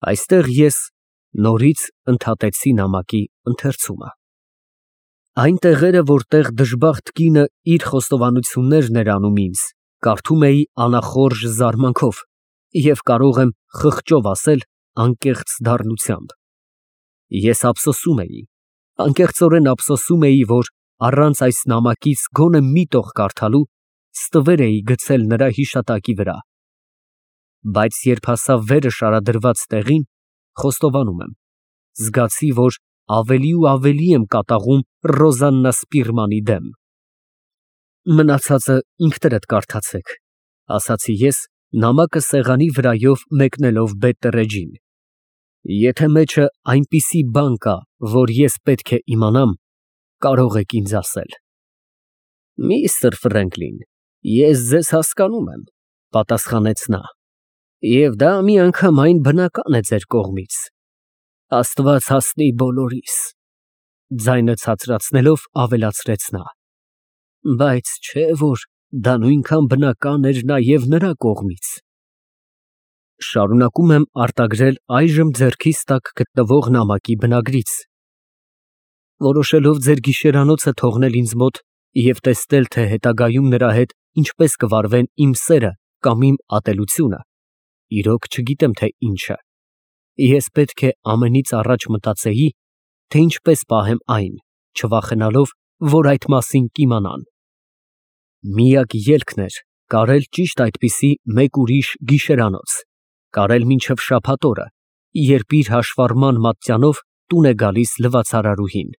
Այստեղ ես նորից ընդհատեցի նամակի ընթերցումը։ Այն տեղերը, որտեղ դժբախտ կինը իր խոստովանություններն էր անում ինձ, կարդում էի անախորժ զարմանքով և կարող եմ խղճով ասել անկեղծ դառնությամբ։ Ես ափսոսում էի, անկեղծորեն ափսոսում էի, որ առանց այս նամակից գոնե մի տող կարդալու ստվեր էի գցել նրա հիշատակի վրա։ Բայց երբ հասավ վերը շարադրված տեղին, խոստովանում եմ, զգացի, որ ավելի ու ավելի եմ կատաղում Ռոզաննա Սպիրմանի դեմ։ Մնացածը ինքներդ կարդացեք, ասացի ես, նամակը սեղանի վրայով մեկնելով Բետտերեջին։ Եթե մեջը այնպիսի բան կա, որ ես պետք է իմանամ, կարող եք ինձ ասել։ Միստր Ֆրենկլին, ես ձեզ հասկանում եմ, պատասխանեց նա, և դա միանգամայն բնական է ձեր կողմից։ Աստված հասնի բոլորիս, ձայնը ցածրացնելով ավելացրեց նա, բայց չէ՞ որ դա նույնքան բնական էր նաև նրա կողմից։ Շարունակում եմ արտագրել այժմ ձեռքիս տակ գտնվող նամակի բնագրից։ Որոշելով ձեր գիշերանոցը թողնել ինձ մոտ և տեսնել, թե հետագայում նրա հետ ինչպես կվարվեն իմ սերը կամ իմ ատելությունը, իրոք չգիտեմ, թե ինչը, ես պետք է ամենից առաջ մտածեի, թե ինչպես պահեմ այն, չվախենալով, որ այդ մասին կիմանան։ Միակ ելքն էր կարել ճիշտ այդպիսի մեկ ուրիշ գիշերանոց, կարել մինչև շաբաթ օրը, երբ իր հաշվառման մատյանով տուն է գալիս լվացարարուհին։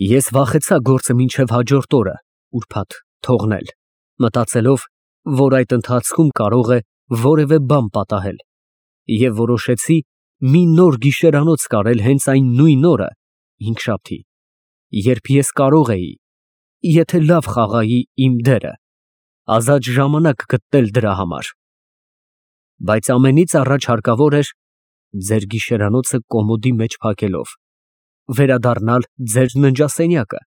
Ես վախեցա գործը մինչև հաջորդ օրը, ուրբաթ, թողնել, մտածելով, որ այդ ընթացքում կարող է որևէ բան պատահել, և որոշեցի մի նոր գիշերանոց կարել հենց այն նույն օրը, հինգշաբթի, երբ ես կարող էի, եթե լավ խաղայի իմ դերը, ազատ ժամանակ գտնել դրա համար։ Բայց ամենից առաջ հարկավոր էր ձեր գիշերանոցը կոմոդի մեջ փակելով, վերադառնալ ձեր ննջասենյակը,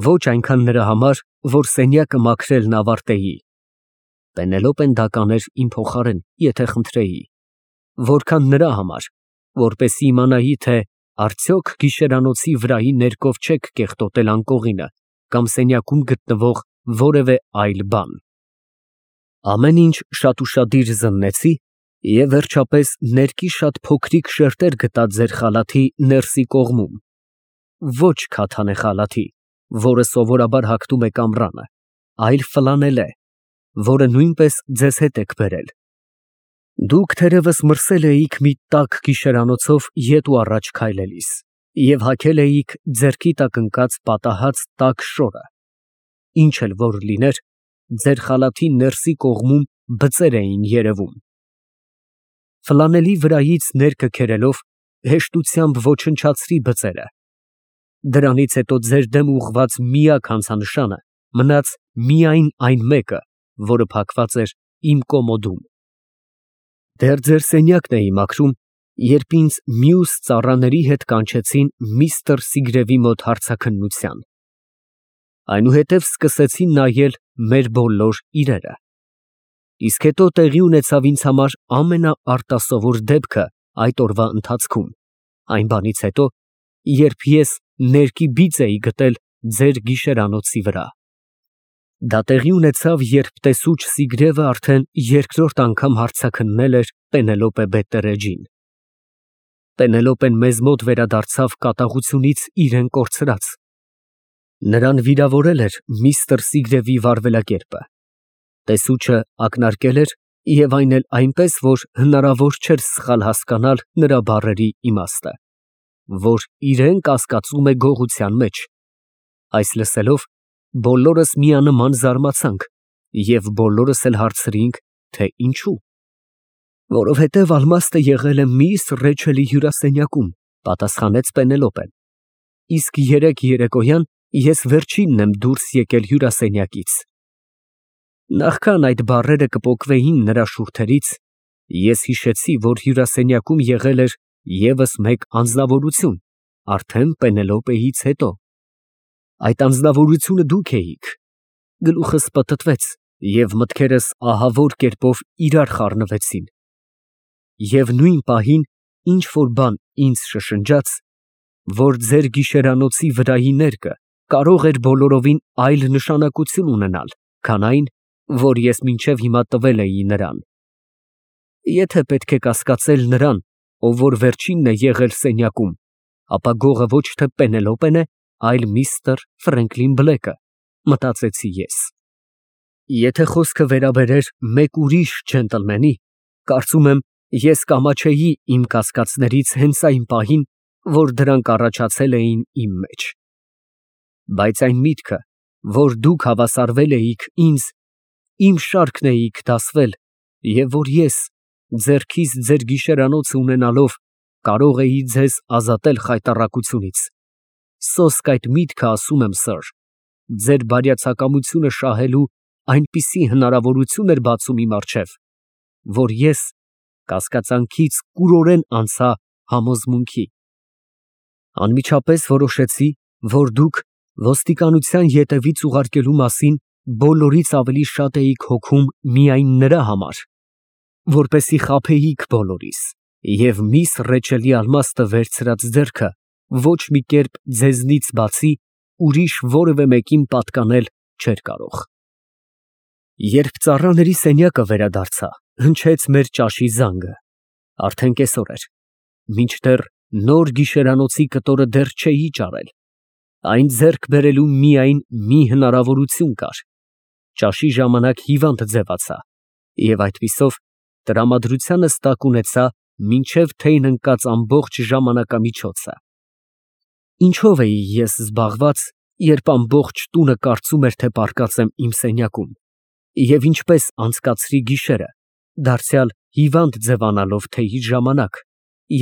ոչ այնքան նրա համար, որ սենյակը մաքրելն ավարտեի, Պենելոպեն դա կաներ իմ փոխարեն, եթե խնդրեի, որքան նրա համար, որպեսզի իմանայի, թե արդյոք գիշերանոցի վրայի ներկով չեք կեղտոտել անկողինը կամ սենյակում գտնվող որևէ այլ բան։ Ամեն ինչ շատուշադիր զննեցի և վերջապես ներկի շատ փոքրիկ շերտեր գտա ձեր խալաթի ներսի կողմում, ոչ քաթանե խալաթի, որը սովորաբար հագնում է կամրանը, այլ ֆլանելե, որը նույնպես ձեզ հետ եք բերել։ Դուք թերևս մրսել էիք մի տաք գիշերանոցով ետ ու առաջ քայլելիս և հագել էիք ձեռքի տակ ընկած պատահած տաք շորը, ինչ էլ որ լիներ, ձեր խալաթի ներսի կողմում բծեր էին երևում։ Ֆլանելի վրայից ներկը քերելով հեշտությամբ ոչնչացրի բծերը։ Դրանից հետո ձեր դեմ ուղղված միակ հանցանշանը մնաց միայն այն մեկը, որը փակված էր իմ կոմոդում։ Դեռ ձեր սենյակն էի մաքրում, երբ ինձ մյուս ծառաների հետ կանչեցին միստր Սիգրևի մոտ հարցաքննության։ Այնուհետև սկսեցին նայել մեր բոլոր իրերը։ Իսկ հետո տեղի ունեցավ ինձ համար ամենաարտասովոր դեպքը այդ օրվա ընթացքում, այն բանից հետո, երբ ես ներկի բիծ էի գտել ձեր գիշերանոցի վրա։ Դա տեղի ունեցավ, երբ տեսուչ Սիգրևը արդեն երկրորդ անգամ հարցաքննել էր Պենելոպե Բետտերեջին։ Պենելոպեն մեզ մոտ վերադարձավ կատաղությունից իրեն կորցրած։ Նրան վիրավորել էր միստր Սիգրևի վարվելակերպը։ Տեսուչը ակնարկել էր և այն էլ այնպես, որ հնարավոր չէր սխալ հասկանալ նրա բառերի իմաստը, որ իրեն կասկածում է գողության մեջ։ Այս լսելով, բոլորս միանման զարմացանք և բոլորս էլ հարցրինք, թե ինչու։ Որովհետև ալմաստը եղել է միս Ռեչելի հյուրասենյակում, պատասխանեց Պենելոպեն, իսկ երեկ երեկոյան ես վերջինն եմ դուրս եկել հյուրասենյակից։ Նախքան այդ բառերը կպոկվեին նրա շուրթերից, ես հիշեցի, որ հյուրասենյակում եղել էր ևս մեկ անձնավորություն, արդեն Պենելոպեից հետո։ Այդ անձնավորությունը դուք էիք։ Գլուխս պտտվեց և մտքերս ահավոր կերպով իրար խառնվեցին։ Եվ նույն պահին ինչ որ բան ինձ շշնջաց, որ ձեր գիշերանոցի վրայի ներկը կարող էր բոլորովին այլ նշանակություն ունենալ, քան այն, որ ես մինչև հիմա տվել էի նրան։ Եթե պետք է կասկածել նրան, ով որ վերջինն է եղել սենյակում, ապա գողը ոչ թե Պենելոպեն է, այլ միստր Ֆրենկլին Բլեքը, մտածեցի ես։ Եթե խոսքը վերաբերեր մեկ ուրիշ ջենտլմենի, կարծում եմ, ես կամաչեի իմ կասկածներից հենց այն պահին, որ դրանք առաջացել էին իմ մեջ։ Բայց այն միտքը, որ դուք հավասարվել էիք ինձ, իմ շարքն էիք դասվել, և որ ես, ձեռքիս ձեր գիշերանոցը ունենալով, կարող էի ձեզ ազատել խայտառակությունից, սոսկ այդ միտքը, ասում եմ, սըր, ձեր բարյացակամությունը շահելու այնպիսի հնարավորություն էր բացում իմ առջև, որ ես կասկածանքից կուրորեն անցա համոզմունքի։ Անմիջապես որոշեցի, որ դուք ոստիկանության ետևից ուղարկելու մասին բոլորից ավելի շատ էիք հոգում միայն նրա համար, որպեսզի խաբեիք բոլորիս, և միս Ռեչելի ալմաստը վերցրած ձեռքը ոչ մի կերպ ձեզնից բացի ուրիշ որևէ մեկին պատկանել չէր կարող։ Երբ ծառաների սենյակը վերադարձա, հնչեց մեր ճաշի զանգը, արդեն կեսօր էր, մինչդեռ նոր գիշերանոցի կտորը դեռ չէի ճարել, այն ձեռք բերելու միայն մի հնարավորություն կար, ճաշի ժամանակ հիվանդ ձևացա, և այդպիսով տրամադրությանս տակ ունեցա մինչև թեյն ընկած ամբողջ ժամանակամիջոցը։ Ինչով էի ես զբաղված, երբ ամբողջ տունը կարծում էր, թե պառկած եմ իմ սենյակում, և ինչպես անցկացրի գիշերը, դարձյալ հիվանդ ձևանալով թեյի ժամանակ,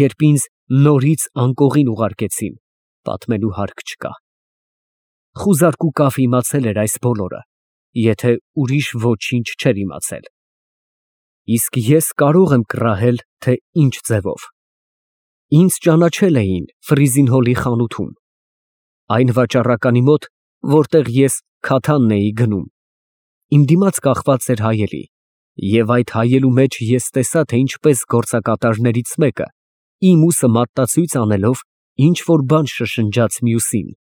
երբ ինձ նորից անկողին ուղարկեցին, պատմելու հարկ չկա։ Խուզարկուկավ իմացել էր այս բոլորը, եթե ուրիշ ոչինչ չէր իմացել։ Իսկ ես կարող եմ կռահել, թե ինչ ձևով։ Ինձ ճանաչել էին Ֆրիզինհոլի խանութում, այն վաճառականի մոտ, որտեղ ես քաթանն էի գնում։ Իմ դիմաց կախված էր հայելի, և այդ հայելու մեջ ես տեսա, թե ինչպես գործակատարներից մեկը, իմ ուսը մատտացույց անելով, ինչ֊որ բան շշնջաց մյուսին։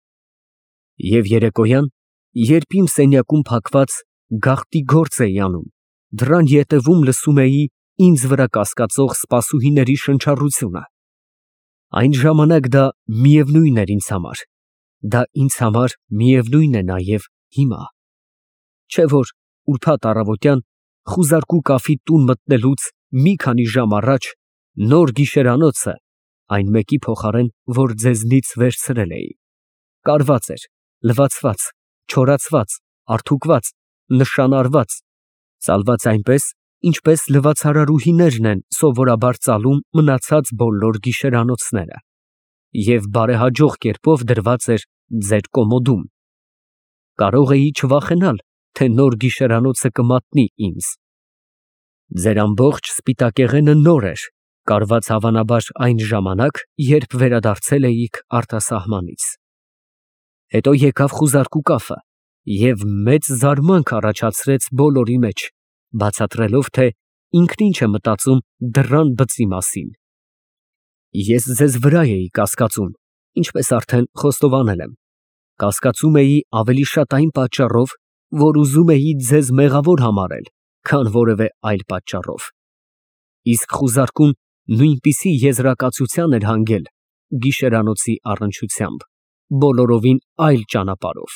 Եվ երեկոյան, երբ իմ սենյակում փակված գաղտնի գործ էի անում, դռան ետևում լսում էի ինձ վրա կասկածող սպասուհիների շնչառությունը։ Այն ժամանակ դա միևնույն էր ինձ համար, դա ինձ համար միևնույն է նաև հիմա, չէ՞ որ ուրբաթ առավոտյան խուզարկու կաֆի տուն մտնելուց մի քանի ժամ առաջ նոր գիշերանոցը, այն մեկի փոխարեն, որ ձեզնից վերցրել էի, կարված էր, լվացված, չորացված, արթուկված, նշանառված, ծալված այնպես, ինչպես լվացարարուհիներն են սովորաբար ծալում մնացած բոլոր գիշերանոցները, և բարեհաջող կերպով դրված էր ձեր կոմոդում։ Կարող էի չվախենալ, թե նոր գիշերանոցը կմատնի ինձ։ Ձեր ամբողջ սպիտակեղենը նոր էր, կարված հավանաբար այն ժամանակ, երբ վերադարձել էիք արտասահմանից։ Հետո եկավ խուզարկու կաֆը և մեծ զարմանք առաջացրեց բոլորի մեջ, բացատրելով, թե ինքն ինչ է մտածում դռան բծի մասին։ Ես ձեզ վրա էի կասկածում, ինչպես արդեն խոստովանել եմ, կասկածում էի ավելի շատ այն պատճառով, որ ուզում էի ձեզ մեղավոր համարել, քան որևէ այլ պատճառով։ Իսկ խուզարկուն նույնպիսի եզրակացության էր հանգել գիշերանոցի առնչությամբ, բոլորովին այլ ճանապարհով։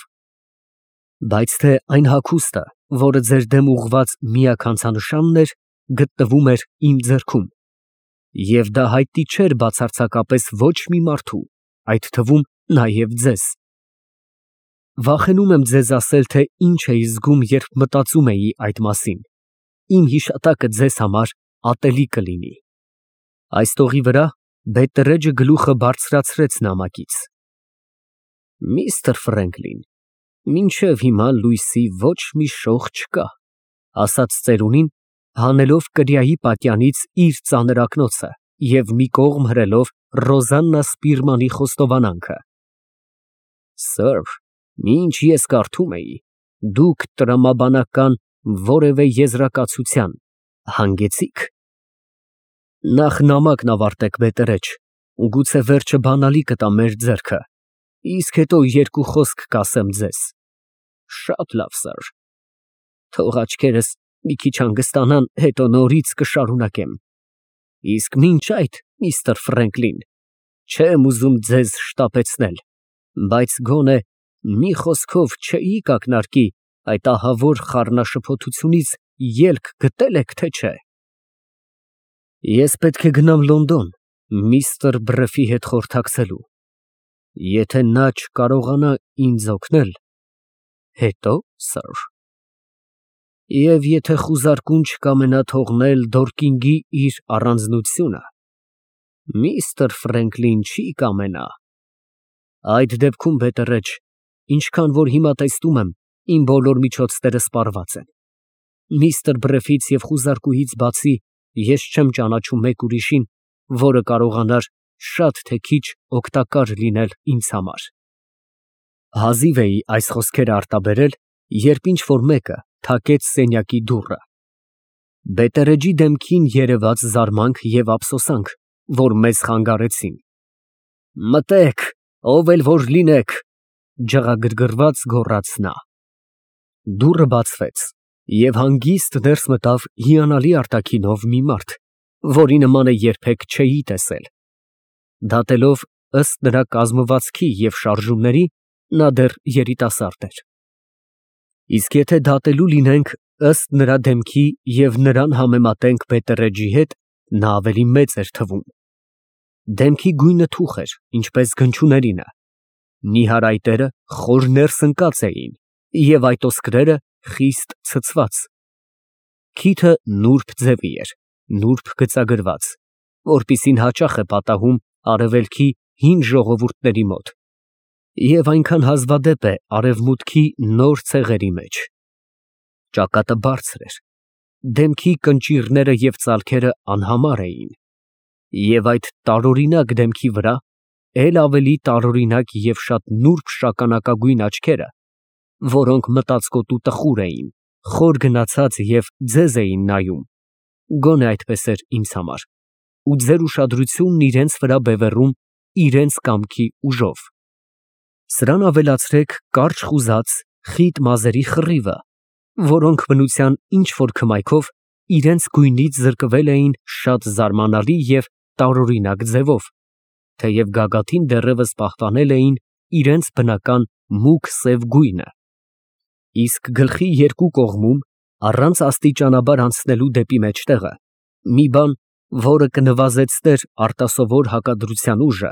Բայց թե այն հագուստը, որը ձեր դեմ ուղղված միակ հանցանշանն էր, գտնվում էր իմ ձեռքում, և դա հայտնի չէր բացարձակապես ոչ մի մարդու, այդ թվում նաև ձեզ։ Վախենում եմ ձեզ ասել, թե ինչ էի զգում, երբ մտածում էի այդ մասին, իմ հիշատակը ձեզ համար ատելի կլինի։ Այս տողի վրա բետտերեջը գլուխը բարձրացրեց նամակից։ Միստր Ֆրենկլին, մինչև հիմա լույսի ոչ մի շող չկա, ասաց ծերունին, հանելով կրիայի պատյանից իր ծանր ակնոցը և մի կողմ հրելով Ռոզաննա Սպիրմանի խոստովանանքը։ Սըր, ինչ ես կարդում էի, դուք տրամաբանական որևէ եզրակացության հանգեցի՞ք։ Նախ նամակն ավարտեք, բետերեջ, ու գուցե վերջը բանալի կտա մեր ձեռքը, իսկ հետո երկու խոսք կասեմ ձեզ։ Շատ լավ, սըր։ Թող աչքերս մի քիչ հանգստանան, հետո նորից կշարունակեմ։ Իսկ մինչ այդ, միստր Ֆրենկլին, չեմ ուզում ձեզ շտապեցնել, բայց գոնե մի խոսքով չէիք ակնարկի այդ ահավոր խառնաշփոթությունից ելք գտել եք, թե չէ։ Ես պետք է գնամ Լոնդոն միստր Բրեֆի հետ խորհրդակցելու։ Եթե նա չկարողանա ինձ օգնել, հետո, սըր։ Եվ եթե խուզարկուն չկամենա թողնել Դորկինգի իր առանձնությունը, միստր Ֆրենկլին չի կամենա։ Այդ դեպքում, բետերեջ, ինչքան որ հիմա տեսնում եմ, իմ բոլոր միջոցները սպառված են։ Միստր Բրեֆից և խուզարկուից բացի ես չեմ ճանաչում մեկ ուրիշին, որը կարողանար շատ թե քիչ օգտակար լինել ինձ համար։ Հազիվ էի այս խոսքերը արտաբերել, երբ ինչ-որ մեկը թակեց սենյակի դուռը։ Բետերեջի դեմքին երևաց զարմանք և ափսոսանք, որ մեզ խանգարեցին։ Մտեք, ով էլ որ լինեք, ջղագրգռված գոռաց նա։ Դուռը բացվեց, և հանգիստ ներս մտավ հիանալի արտաքինով մի մարդ, որի նմանը երբեք չէի տեսել։ Դատելով ըստ նրա կազմվածքի և շարժումների, նա դեռ երիտասարդ էր։ Իսկ եթե դատելու լինենք ըստ նրա դեմքի և նրան համեմատենք բետերեջի հետ, նա ավելի մեծ էր թվում։ Դեմքի գույնը թուխ էր, ինչպես գնչուներինը։ Նիհար այտերը խոր ներսընկած էին և այտոսկրերը խիստ ցցված։ Քիթը նուրբ ձևի էր, նուրբ գծագրված, որպիսին հաճախ է պատահում արևելքի հին ժողովուրդների մոտ, և այնքան հազվադեպ է արևմուտքի նոր ցեղերի մեջ։ Ճակատը բարձր էր, դեմքի կնճիռները և ծալքերը անհամար էին, և այդ տարօրինակ դեմքի վրա էլ ավելի տարօրինակ և շատ նուրբ շագանակագույն աչքերը, որոնք մտածկոտու տխուր էին, խոր գնացած և ձեզ էին նայում, գոնե այդպես էր ինձ համար, ու ձեր ուշադրությունն իրենց վրա բևեռում իրենց կամքի ուժով։ Սրան ավելացրեք կարճ խուզած, խիտ մազերի խռիվը, որոնք բնության ինչ֊որ քմայքով իրենց գույնից զրկվել էին շատ զարմանալի և տարօրինակ ձևով, թեև գագաթին դեռևս պահպանել էին իրենց բնական մուգ սև գույնը։ Իսկ գլխի երկու կողմում, առանց աստիճանաբար անցնելու դեպի մեջտեղը, մի բան, որը կնվազեցներ արտասովոր հակադրության ուժը,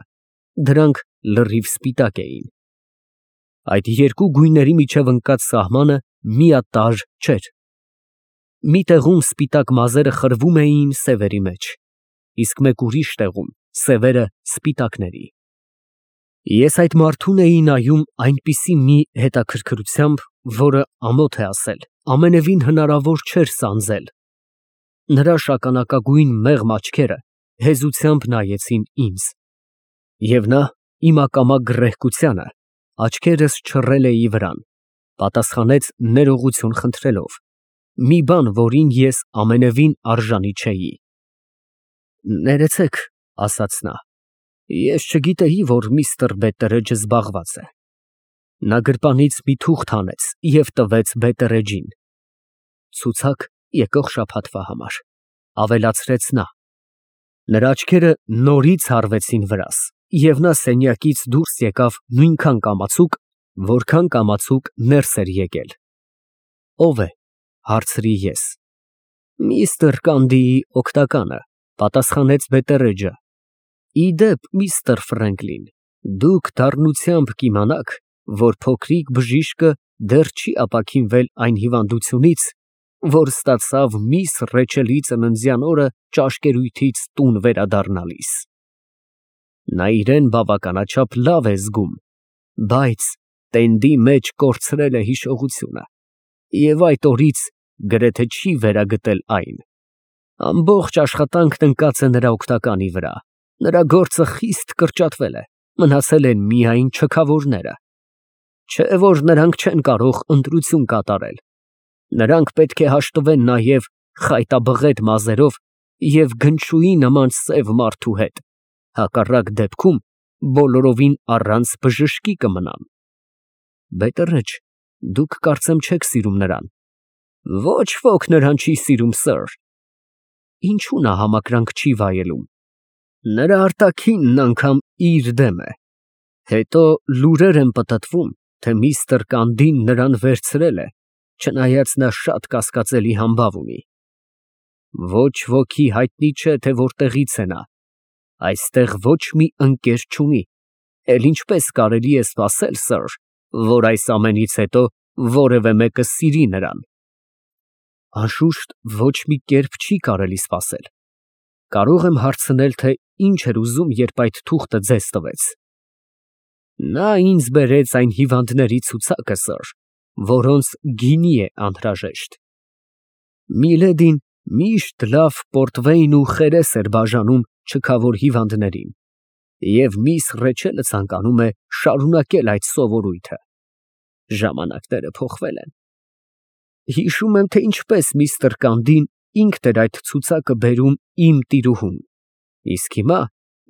դրանք լրիվ սպիտակ էին։ Այդ երկու գույների միջև ընկած սահմանը միատարր չէր։ Մի տեղում սպիտակ մազերը խրվում էին սևերի մեջ, իսկ մեկ ուրիշ տեղում սևերը սպիտակների։ Ես այդ մարդուն էի նայում այնպիսի մի հետաքրքրությամբ, որը, ամոթ է ասել, ամենևին հնարավոր չէր սանձել։ Նրա շագանակագույն մեղմ աչքերը հեզությամբ նայեցին ինձ, և նա իմ ակամա գռեհկությանը, աչքերս չռել էի վրան, պատասխանեց ներողություն խնդրելով, մի բան, որին ես ամենևին արժանի չէի։ Ներեցեք, ասաց նա, ես չգիտեի, որ միստր Բետերեջը զբաղված է։ Նա գրպանից մի թուղթ հանեց և տվեց բետերեջին։ Ցուցակ եկող շաբաթվա համար, ավելացրեց նա։ Նրա աչքերը նորից հառվեցին վրաս, և նա սենյակից դուրս եկավ նույնքան կամացուկ, որքան կամացուկ ներս էր եկել։ Ո՞վ է, հարցրի ես։ Միստր Կանդիի օգնականը, պատասխանեց բետերեջը։ Ի դեպ, միստր Ֆրենկլին, դուք դառնությամբ կիմանաք, որ փոքրիկ բժիշկը դեռ չի ապաքինվել այն հիվանդությունից, որ ստացավ միս Ռեչելի ծննդյան օրը ճաշկերույթից տուն վերադառնալիս։ Նա իրան բավականաչափ լավ է զգում, բայց տենդի մեջ կորցրել է հիշողությունը և այդ օրից գրեթե չի վերագտել այն։ Ամբողջ աշխատանքն ընկած է նրա օգնականի վրա, նրա գործը խիստ կրճատվել է, մնացել են միայն չքավորները։ Չէ որ նրանք չեն կարող ընտրություն կատարել։ Նրանք պետք է հաշտվեն նաև խայտաբղետ մազերով և գնչուի նման սև մարդու հետ, հակառակ դեպքում բոլորովին առանց բժշկի կմնան։ Բետերեջ, դուք կարծեմ չեք սիրում նրան։ Ոչ ոք նրան չի սիրում, սըր։ Ինչու նա համակրանք չի վայելում։ Նրա արտաքինն անգամ իր դեմ է։ Հետո լուրեր են պտտվում, թե միստր Կանդին նրան վերցրել է, չնայած նա շատ կասկածելի համբավ ունի։ Ոչ ոքի հայտնի չէ, թե որտեղից է նա։ Այստեղ ոչ մի ընկեր չունի, էլ ինչպես կարելի է սպասել, սըր, որ այս ամենից հետո որևէ մեկը սիրի նրան։ Անշուշտ ոչ մի կերպ չի կարելի սպասել։ Կարող եմ հարցնել, թե ինչ էր ուզում, երբ այդ թուղթը ձեզ տվեց։ Նա ինձ բերեց այն հիվանդների ցուցակը, սըր, որոնց գինի է անհրաժեշտ։ Միլեդին միշտ լավ պորտվեյն ու խերես էր բաժանում չքավոր հիվանդներին, և միս Ռեչելը ցանկանում է շարունակել այդ սովորույթը։ Ժամանակները փոխվել են։ Հիշում եմ, թե ինչպես միստր Կանդին ինքն էր այդ ցուցակը բերում իմ տիրուհուն, իսկ հիմա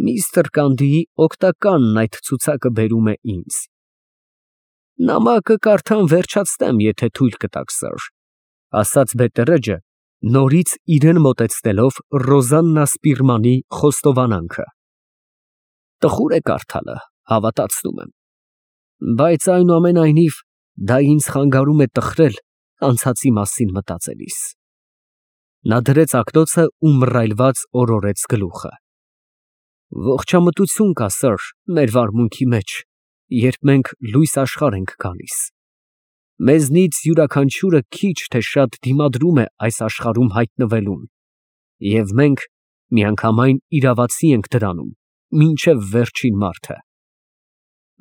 միստր Կանդիի օգտականն այդ ցուցակը բերում է ինձ։ Նամակը կարդամ վերջացնեմ, եթե թույլ կտաք, սըր, ասաց Բետերեջը, նորից իրան մոտեցնելով Ռոզաննա Սպիրմանի խոստովանանքը։ Տխուր է կարդալը, հավատացնում եմ, բայց այնուամենայնիվ դա ինձ խանգարում է տխրել անցածի մասին մտածելիս։ Նա դրեց ակնոցը ու մռայլված օրորեց գլուխը։ Ողջամտություն կա, սըր, մեր վարմունքի մեջ, երբ մենք լույս աշխարհ ենք գալիս։ Մեզնից յուրաքանչյուրը քիչ թե շատ դիմադրում է այս աշխարհում հայտնվելուն, և մենք միանգամայն իրավացի ենք դրանում, մինչև վերջին մարդը։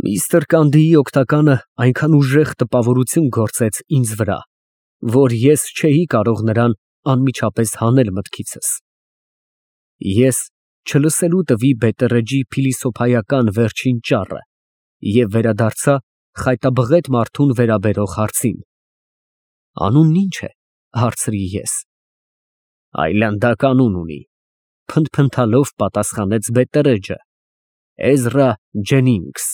Միստր Կանդիի օգտականը այնքան ուժեղ տպավորություն գործեց ինձ վրա, որ ես չէի կարող նրան անմիջապես հանել մտքիցս։ Ես չլսելու տվի Բետերեջի փիլիսոփայական վերջին ճառը և վերադարձա խայտաբղետ մարդուն վերաբերող հարցին։ Անունն ի՞նչ է, հարցրի ես։ Այլանդակ անուն ունի, փնթփնթալով պատասխանեց Բետերեջը. Էզրա Ջենինգս։